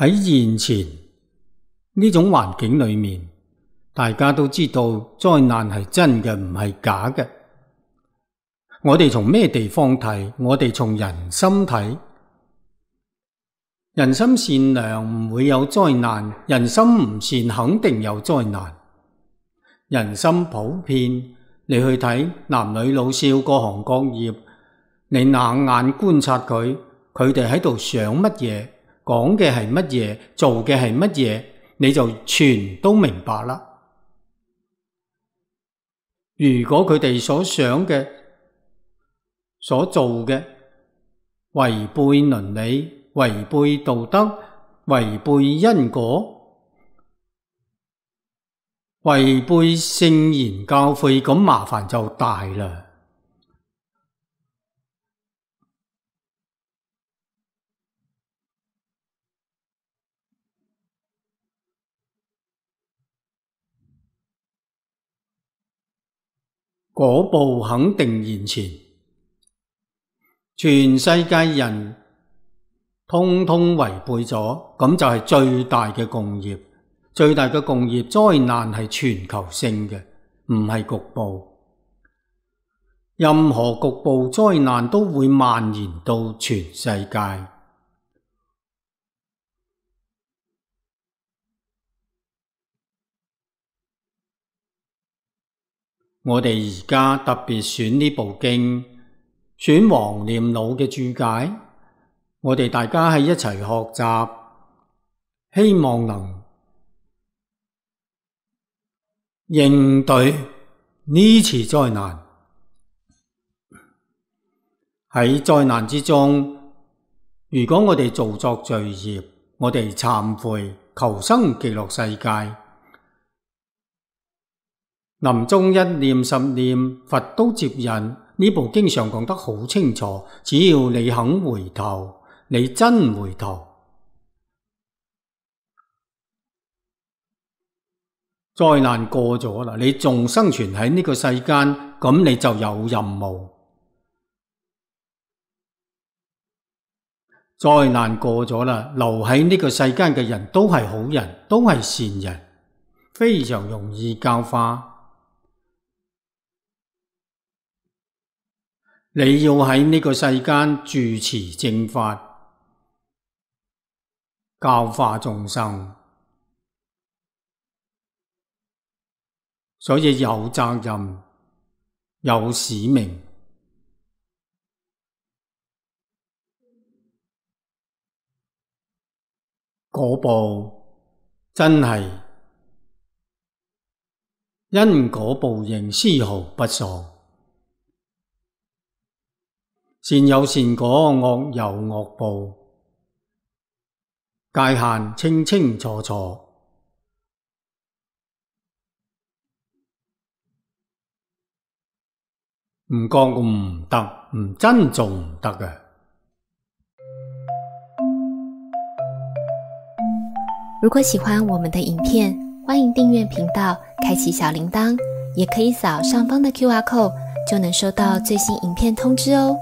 喺現前呢種環境裏面，大家都知道災難係真嘅，唔係假嘅。我哋從咩地方睇？我哋從人心睇。人心善良唔會有災難，人心唔善肯定有災難。人心普遍，你去睇男女老少各行各業，你冷眼觀察佢哋喺度想乜嘢，講嘅係乜嘢，做嘅係乜嘢，你就全都明白啦。如果佢哋所想嘅、所做嘅違背倫理、違背道德、違背因果、違背聖言教誨，咁麻煩就大啦。果報肯定現前，全世界人通通違背咗，咁就係最大嘅共業。最大嘅共業，災難係全球性嘅，唔係局部。任何局部災難都會蔓延到全世界。我哋而家特別選呢部經，選黃念老嘅注解，我哋大家喺一齊學習，希望能應對呢次災難。喺災難之中，如果我哋做作罪業，我哋懺悔，求生極樂世界。臨終一念十念，佛都接引。呢部經上講得好清楚，只要你肯回頭，你真回頭，災難過咗啦，你仲生存喺呢個世間，咁你就有任務。災難過咗啦，留喺呢個世間嘅人都係好人，都係善人，非常容易教化。你要喺呢個世間住持正法，教化眾生，所以有責任，有使命。果報真係因果報應，絲毫不爽。善有善果，惡有惡報，界限清清楚楚。唔覺唔得，唔真做唔得嘅。如果喜歡我們的影片，歡迎訂閱頻道，開啟小鈴鐺，也可以掃上方的QR code，就能收到最新影片通知哦。